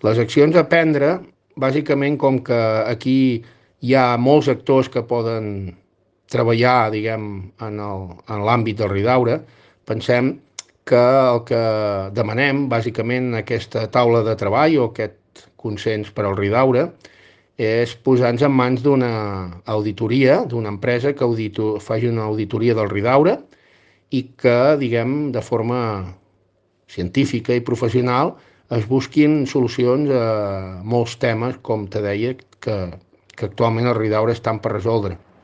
Les accions a prendre, bàsicament, com que aquí hi ha molts actors que poden treballar, diguem, en l'àmbit del Ridaura, pensem que el que demanem, bàsicament, en aquesta taula de treball o aquest consens per al Ridaura, és posar-nos en mans d'una auditoria, d'una empresa que faci una auditoria del Ridaura i que, diguem, de forma científica i professional es busquin solucions a molts temes, com te deia, que actualment el Ridaura estan per resoldre.